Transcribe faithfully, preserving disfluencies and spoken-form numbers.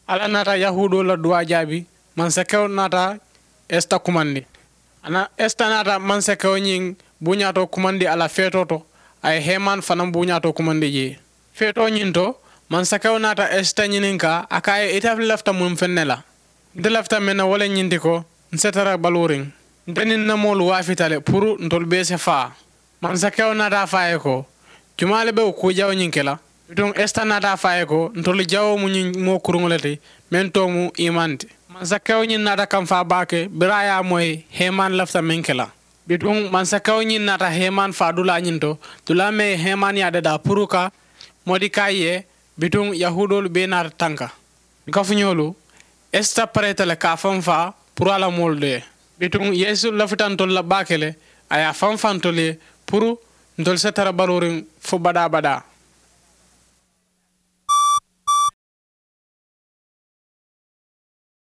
Alla naata yahuudoolu la duwaa jaabi. Mansakewo naata esita kumandi. A na esita naata mansakewo ñiŋ buuñaatoo kumandi a la feetoo to. A ye heeman fanaŋ buuñaatoo kumandi jee. Feetoo ñiŋ to, mansakewo naata esita ñininkaa, a ko a ye ite lafita muŋ feŋ ne la? Nte lafita meŋ na wo le ñiŋ ti ko, n se tara baluuriŋ. Nte niŋ n na moolu waafita le puru ntolu bee si faa. Mansakewo naata a fo a ye ko, jumaa le be wo kuu jawoo ñiŋ ke la? Bituŋ esita naata a fo a ye ko, ntolu jawoo mu ñiŋ moo kuruŋo le ti, meŋ too mu iman ti. Mansakewo ñiŋ naata kamfaa baake biriŋ a ye a moyi heeman lafita meŋ ke la. Bituŋ mansakewo ñiŋ naata heeman faa dulaa ñiŋ to, dulaa meŋ ye heeman yaa dadaa puru ka modikayi ye. Bituŋ yahuudoolu bee naata tanka. N kafuñoolu, esita pareeta le ka a fanfaa puru a la moolu dee. Bituŋ yeesu lafita ntolu la baake le, a ye a fanfaa ntolu ye puru ntolu se tara baluuriŋ fo badaa badaa.